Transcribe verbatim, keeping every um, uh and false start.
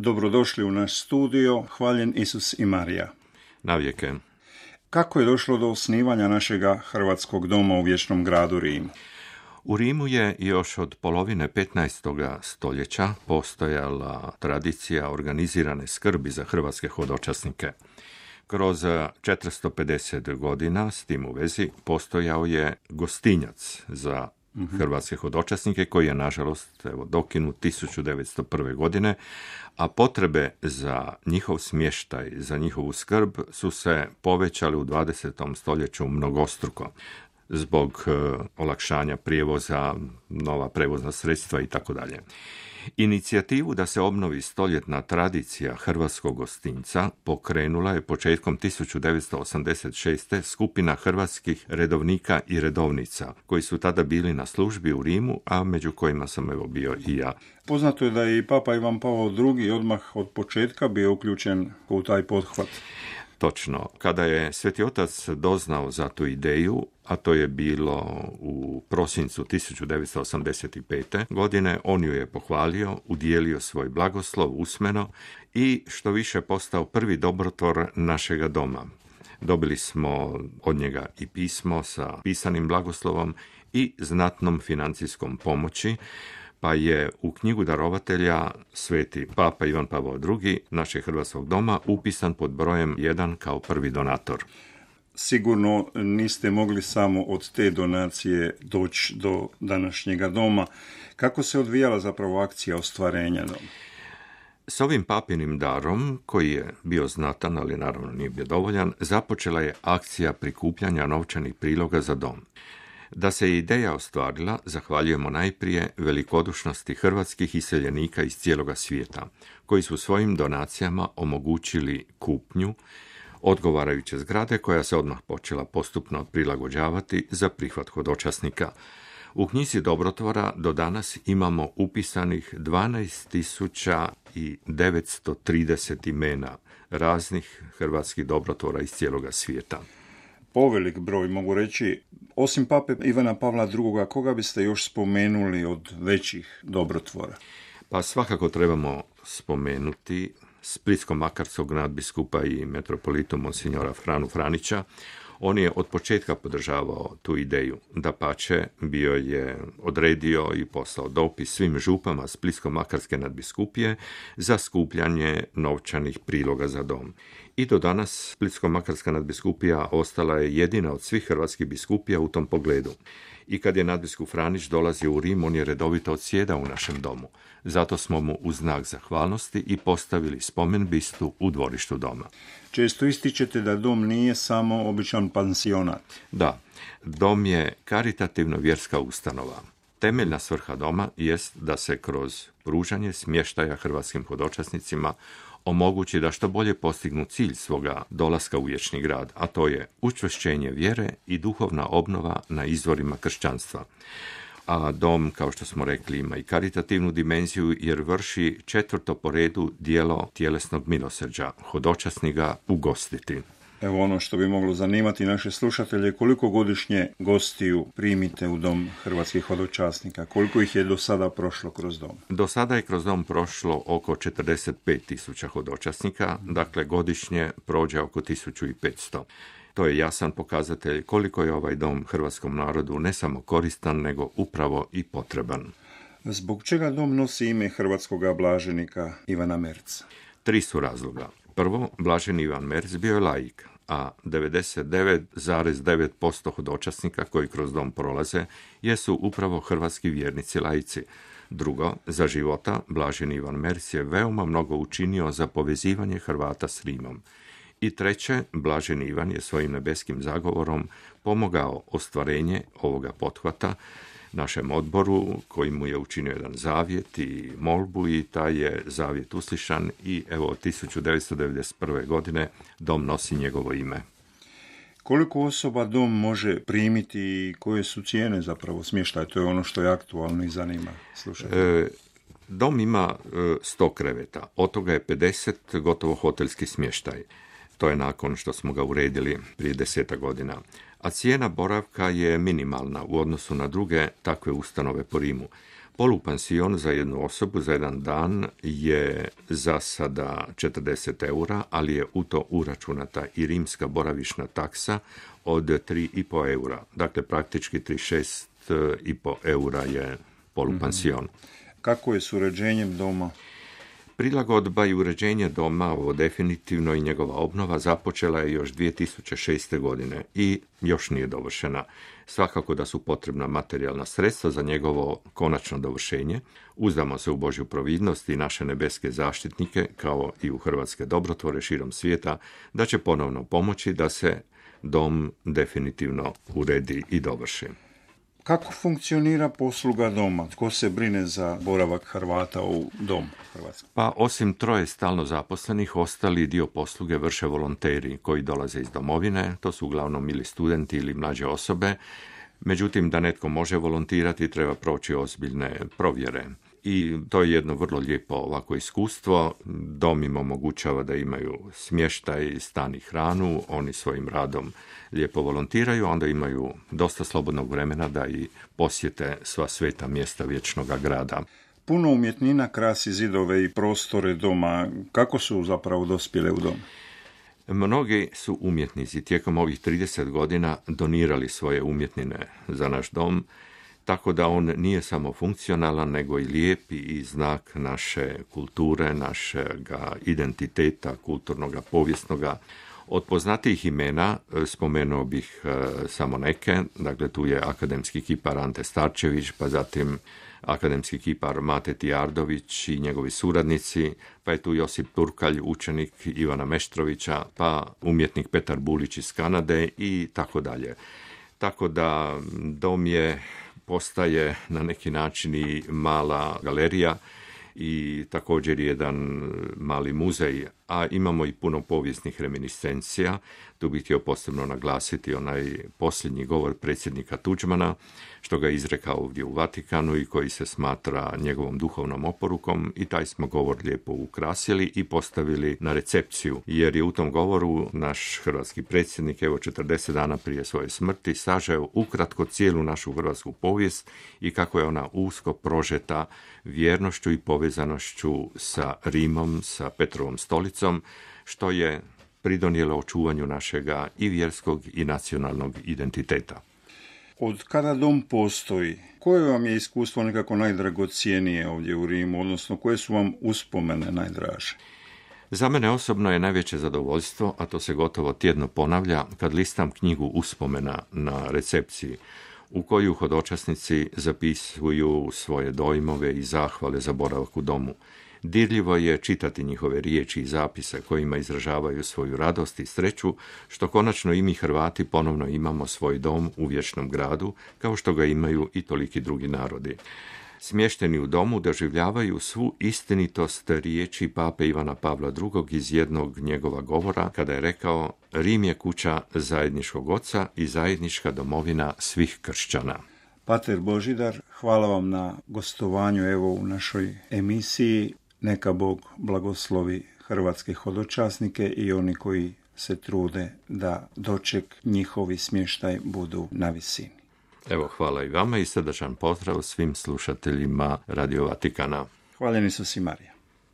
Dobrodošli u naš studio, hvaljen Isus i Marija. Navijeke. Kako je došlo do osnivanja našega Hrvatskog doma u vječnom gradu Rimu? U Rimu je još od polovine petnaestog stoljeća postojala tradicija organizirane skrbi za hrvatske hodočasnike. Kroz četiristo pedeset godina s tim u vezi postojao je gostinjac za hrvatske hodočasnike koji je nažalost evo, dokinut tisuću devetsto prve. godine, a potrebe za njihov smještaj, za njihovu skrb su se povećali u dvadesetom stoljeću mnogostruko zbog e, olakšanja prijevoza, nova prevozna sredstva i tako dalje. Inicijativu da se obnovi stoljetna tradicija hrvatskog gostinca pokrenula je početkom tisuću devetsto osamdeset šeste. skupina hrvatskih redovnika i redovnica, koji su tada bili na službi u Rimu, a među kojima sam evo bio i ja. Poznato je da je i Papa Ivan Pavao drugi. odmah od početka bio uključen u taj pothvat. Točno. Kada je Sveti Otac doznao za tu ideju, a to je bilo u prosincu tisuću devetsto osamdeset pete. godine, on ju je pohvalio, udijelio svoj blagoslov usmeno i što više postao prvi dobrotvor našega doma. Dobili smo od njega i pismo sa pisanim blagoslovom i znatnom financijskom pomoći, pa je u knjigu darovatelja Sveti Papa Ivan Pavao drugi. našeg Hrvatskog doma upisan pod brojem jedan kao prvi donator. Sigurno niste mogli samo od te donacije doći do današnjega doma. Kako se odvijala zapravo akcija ostvarenja doma? S ovim papinim darom, koji je bio znatan, ali naravno nije bio dovoljan, započela je akcija prikupljanja novčanih priloga za dom. Da se ideja ostvarila, zahvaljujemo najprije velikodušnosti hrvatskih iseljenika iz cijeloga svijeta, koji su svojim donacijama omogućili kupnju odgovarajuće zgrade koja se odmah počela postupno prilagođavati za prihvat hodočasnika. U knjizi dobrotvora do danas imamo upisanih dvanaest tisuća devetsto trideset imena raznih hrvatskih dobrotvora iz cijeloga svijeta. Povelik broj, mogu reći. Osim Pape Ivana Pavla drugoga. koga biste još spomenuli od većih dobrotvora? Pa svakako trebamo spomenuti splitsko-makarskog nadbiskupa i metropolitu monsignora Franu Franića. On je od početka podržavao tu ideju. Dapače, bio je odredio i poslao dopis svim župama splitsko-makarske nadbiskupije za skupljanje novčanih priloga za dom. I do danas splitsko-makarska nadbiskupija ostala je jedina od svih hrvatskih biskupija u tom pogledu. I kad je nadbiskup Franić dolazio u Rim, on je redovito odsjedao u našem domu. Zato smo mu u znak zahvalnosti i postavili spomen bistu u dvorištu doma. Često ističete da dom nije samo običan pansionat. Da, dom je karitativno vjerska ustanova. Temeljna svrha doma jest da se kroz pružanje smještaja hrvatskim hodočasnicima omogući da što bolje postignu cilj svoga dolaska u vječni grad, a to je učvršćenje vjere i duhovna obnova na izvorima kršćanstva. A dom, kao što smo rekli, ima i karitativnu dimenziju jer vrši četvrto po redu dijelo tjelesnog milosrđa, hodočasni ga ugostiti. Evo ono što bi moglo zanimati naše slušatelje, koliko godišnje gostiju primite u dom hrvatskih hodočasnika? Koliko ih je do sada prošlo kroz dom? Do sada je kroz dom prošlo oko četrdeset pet tisuća hodočasnika, dakle godišnje prođe oko tisuću petsto. To je jasan pokazatelj koliko je ovaj dom hrvatskom narodu ne samo koristan, nego upravo i potreban. Zbog čega dom nosi ime hrvatskog blaženika Ivana Merca? Tri su razloga. Prvo, blaženi Ivan Merc bio je laik, a devedeset devet zarez devet posto hodočasnika koji kroz dom prolaze jesu upravo hrvatski vjernici laici. Drugo, za života blaženi Ivan Merc je veoma mnogo učinio za povezivanje Hrvata s Rimom. I treće, blaženi Ivan je svojim nebeskim zagovorom pomogao ostvarenje ovoga pothvata našem odboru, koji mu je učinio jedan zavjet i molbu i taj je zavjet uslišan i evo tisuću devetsto devedeset prve. godine dom nosi njegovo ime. Koliko osoba dom može primiti i koje su cijene zapravo smještaja? To je ono što je aktualno i zanima slušajte. E, dom ima sto kreveta, od toga je pedeset gotovo hotelski smještaj. To je nakon što smo ga uredili prije desetak godina. A cijena boravka je minimalna u odnosu na druge takve ustanove po Rimu. Polupansion za jednu osobu za jedan dan je za sada četrdeset eura, ali je u to uračunata i rimska boravišna taksa od tri i pol eura. Dakle, praktički trideset šest i pol eura je polupansion. Mm-hmm. Kako je s uređenjem doma? Prilagodba i uređenje doma, ovo definitivno i njegova obnova, započela je još dvije tisuće šeste. godine i još nije dovršena. Svakako da su potrebna materijalna sredstva za njegovo konačno dovršenje. Uzdamo se u Božju providnost i naše nebeske zaštitnike, kao i u hrvatske dobrotvore širom svijeta, da će ponovno pomoći da se dom definitivno uredi i dovrši. Kako funkcionira posluga doma? Tko se brine za boravak Hrvata u dom Hrvatske? Pa osim troje stalno zaposlenih, ostali dio posluge vrše volonteri koji dolaze iz domovine. To su uglavnom ili studenti ili mlađe osobe. Međutim, da netko može volontirati, treba proći ozbiljne provjere. I to je jedno vrlo lijepo ovako iskustvo. Dom im omogućava da imaju smještaj, stan i hranu, oni svojim radom lijepo volontiraju, onda imaju dosta slobodnog vremena da i posjete sva sveta mjesta vječnoga grada. Puno umjetnina krasi zidove i prostore doma. Kako su zapravo dospjele u dom? Mnogi su umjetnici tijekom ovih trideset godina donirali svoje umjetnine za naš dom, tako da on nije samo funkcionalan, nego i lijep i znak naše kulture, našega identiteta, kulturnoga, povijesnoga. Od poznatijih imena spomenuo bih e, samo neke, dakle tu je akademski kipar Ante Starčević, pa zatim akademski kipar Mate Tijardović i njegovi suradnici, pa je tu Josip Turkalj, učenik Ivana Meštrovića, pa umjetnik Petar Bulić iz Kanade i tako dalje. Tako da dom je postaje na neki način i mala galerija i također jedan mali muzej, a imamo i puno povijesnih reminiscencija. Tu bih htio posebno naglasiti onaj posljednji govor predsjednika Tuđmana, što ga je izrekao ovdje u Vatikanu i koji se smatra njegovom duhovnom oporukom, i taj smo govor lijepo ukrasili i postavili na recepciju, jer je u tom govoru naš hrvatski predsjednik, evo četrdeset dana prije svoje smrti, sažeo ukratko cijelu našu hrvatsku povijest i kako je ona usko prožeta vjernošću i povezanošću sa Rimom, sa Petrovom stolicom, što je pridonijelo očuvanju našega i vjerskog i nacionalnog identiteta. Od kada dom postoji, koje vam je iskustvo nekako najdragocijenije ovdje u Rimu, odnosno koje su vam uspomene najdraže? Za mene osobno je najveće zadovoljstvo, a to se gotovo tjedno ponavlja, kad listam knjigu uspomena na recepciji, u koju hodočasnici zapisuju svoje dojmove i zahvale za boravak u domu. Dirljivo je čitati njihove riječi i zapise kojima izražavaju svoju radost i sreću, što konačno i mi Hrvati ponovno imamo svoj dom u vječnom gradu, kao što ga imaju i toliki drugi narodi. Smješteni u domu doživljavaju svu istinitost riječi pape Ivana Pavla drugog iz jednog njegova govora, kada je rekao: Rim je kuća zajedničkog oca i zajednička domovina svih kršćana. Pater Božidar, hvala vam na gostovanju evo u našoj emisiji. Neka Bog blagoslovi hrvatske hodočasnike i oni koji se trude da doček njihovi smještaj budu na visini. Evo, hvala i vama i srdačan pozdrav svim slušateljima Radio Vatikana. Hvaljeni su si Marija.